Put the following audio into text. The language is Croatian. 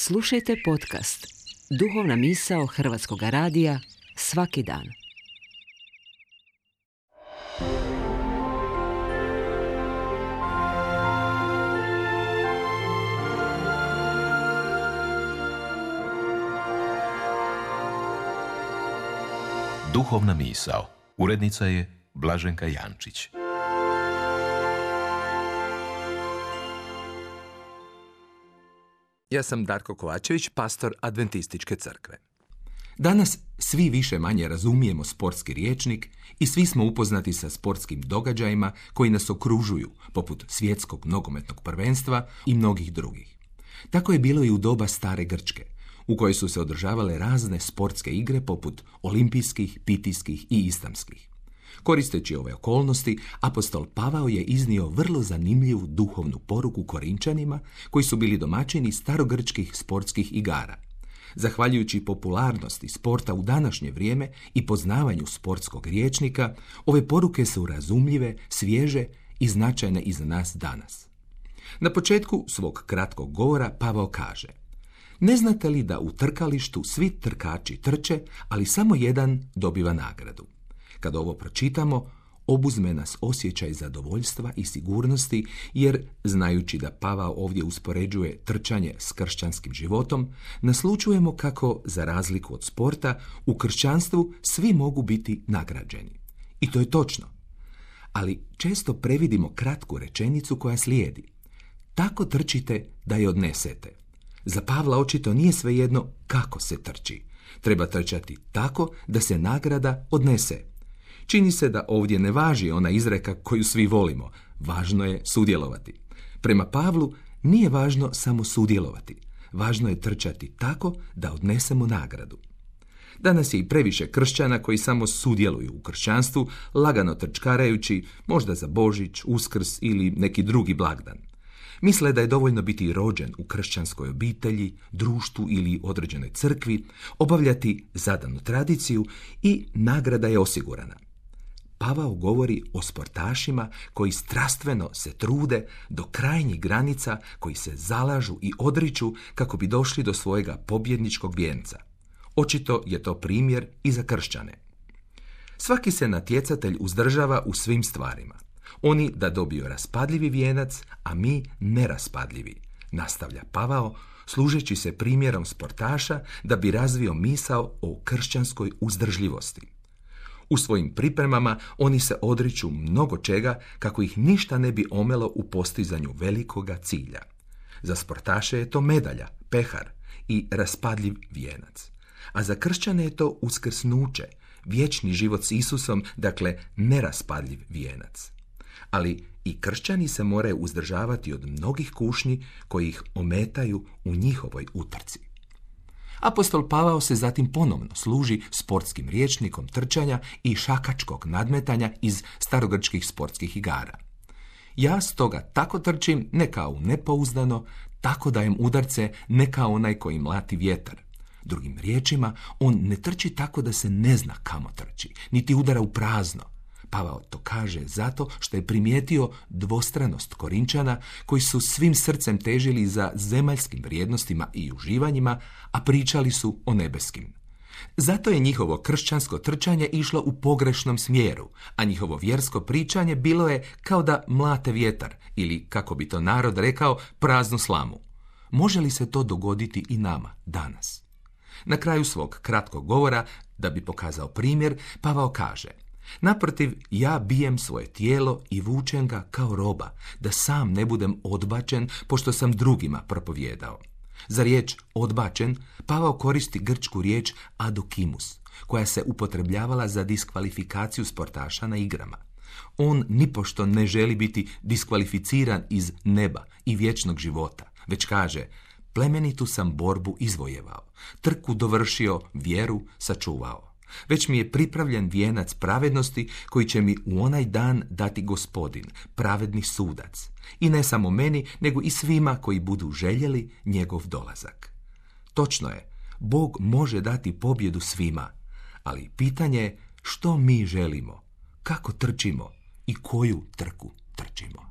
Slušajte podcast Duhovna misao Hrvatskog radija svaki dan. Duhovna misao. Urednica je Blaženka Jančić. Ja sam Darko Kovačević, pastor Adventističke crkve. Danas svi više manje razumijemo sportski rječnik i svi smo upoznati sa sportskim događajima koji nas okružuju, poput svjetskog nogometnog prvenstva i mnogih drugih. Tako je bilo i u doba stare Grčke, u kojoj su se održavale razne sportske igre poput olimpijskih, pitijskih i istamskih. Koristeći ove okolnosti, apostol Pavao je iznio vrlo zanimljivu duhovnu poruku Korinčanima, koji su bili domaćini starogrčkih sportskih igara. Zahvaljujući popularnosti sporta u današnje vrijeme i poznavanju sportskog rječnika, ove poruke su razumljive, svježe i značajne i za nas danas. Na početku svog kratkog govora Pavao kaže: ne znate li da u trkalištu svi trkači trče, ali samo jedan dobiva nagradu? Kad ovo pročitamo, obuzme nas osjećaj zadovoljstva i sigurnosti, jer, znajući da Pavao ovdje uspoređuje trčanje s kršćanskim životom, naslućujemo kako, za razliku od sporta, u kršćanstvu svi mogu biti nagrađeni. I to je točno. Ali često previdimo kratku rečenicu koja slijedi: tako trčite da je odnesete. Za Pavla očito nije svejedno kako se trči. Treba trčati tako da se nagrada odnese. Čini se da ovdje ne važi ona izreka koju svi volimo. Važno je sudjelovati. Prema Pavlu nije važno samo sudjelovati. Važno je trčati tako da odnesemo nagradu. Danas je i previše kršćana koji samo sudjeluju u kršćanstvu, lagano trčkarajući, možda za Božić, Uskrs ili neki drugi blagdan. Misle da je dovoljno biti rođen u kršćanskoj obitelji, društvu ili određenoj crkvi, obavljati zadanu tradiciju i nagrada je osigurana. Pavao govori o sportašima koji strastveno se trude do krajnjih granica, koji se zalažu i odriču kako bi došli do svojega pobjedničkog vijenca. Očito je to primjer i za kršćane. Svaki se natjecatelj uzdržava u svim stvarima. Oni da dobiju raspadljivi vijenac, a mi neraspadljivi, nastavlja Pavao, služeći se primjerom sportaša da bi razvio misao o kršćanskoj uzdržljivosti. U svojim pripremama oni se odriču mnogo čega kako ih ništa ne bi omelo u postizanju velikoga cilja. Za sportaše je to medalja, pehar i raspadljiv vijenac. A za kršćane je to uskrsnuće, vječni život s Isusom, dakle neraspadljiv vijenac. Ali i kršćani se moraju uzdržavati od mnogih kušnji koji ih ometaju u njihovoj utrci. Apostol Pavao se zatim ponovno služi sportskim rječnikom trčanja i šakačkog nadmetanja iz starogrčkih sportskih igara. Ja stoga tako trčim, ne kao nepouzdano, tako dajem udarce, ne kao onaj koji mlati vjetar. Drugim riječima, on ne trči tako da se ne zna kamo trči, niti udara u prazno. Pavao to kaže zato što je primijetio dvostranost Korinčana koji su svim srcem težili za zemaljskim vrijednostima i uživanjima, a pričali su o nebeskim. Zato je njihovo kršćansko trčanje išlo u pogrešnom smjeru, a njihovo vjersko pričanje bilo je kao da mlate vjetar ili, kako bi to narod rekao, praznu slamu. Može li se to dogoditi i nama danas? Na kraju svog kratkog govora, da bi pokazao primjer, Pavao kaže: naprotiv, ja bijem svoje tijelo i vučem ga kao roba, da sam ne budem odbačen, pošto sam drugima propovijedao. Za riječ odbačen, Pavao koristi grčku riječ adokimus, koja se upotrebljavala za diskvalifikaciju sportaša na igrama. On nipošto ne želi biti diskvalificiran iz neba i vječnog života, već kaže: plemenitu sam borbu izvojevao, trku dovršio, vjeru sačuvao. Već mi je pripravljen vijenac pravednosti koji će mi u onaj dan dati Gospodin, pravedni sudac. I ne samo meni, nego i svima koji budu željeli njegov dolazak. Točno je, Bog može dati pobjedu svima, ali pitanje je što mi želimo, kako trčimo i koju trku trčimo.